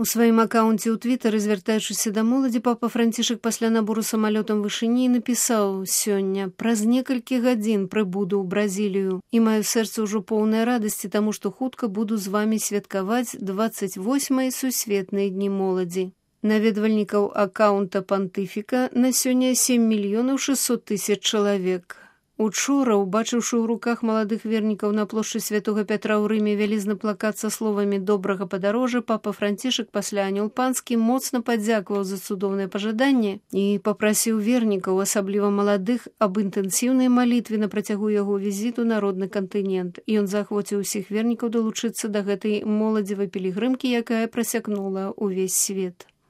У сваім акаунце ў твітары, звяртаючыся да моладзі, папа Францішак пасля набору самалётам вышыні напісаў сёння: «Праз некалькі гадзін прыбуду ў Бразілію і маё сэрца ўжо поўнае радасці, таму што хутка буду з вамі святкаваць 28-й сусветныя дні моладзі». Наведвальнікаў акаунта пантыфіка на сёння 7 600 000 чалавек. Учора, убачыўшы ў руках маладых вернікаў на плошчы Святога Пятра ў Рыме вялізны плакат са словамі «Добрага падарожжа», папа Францішак пасля анёл панскі моцна падзякаваў за цудоўнае пажаданне і папрасіў вернікаў, асабліва маладых, аб інтэнсіўнай малітве на працягу яго візіту на родны кантынент. Ён заахвоціў усіх вернікаў далучыцца да гэтай моладзевай пілігрымкі, якая прасякнула ўвесь свет.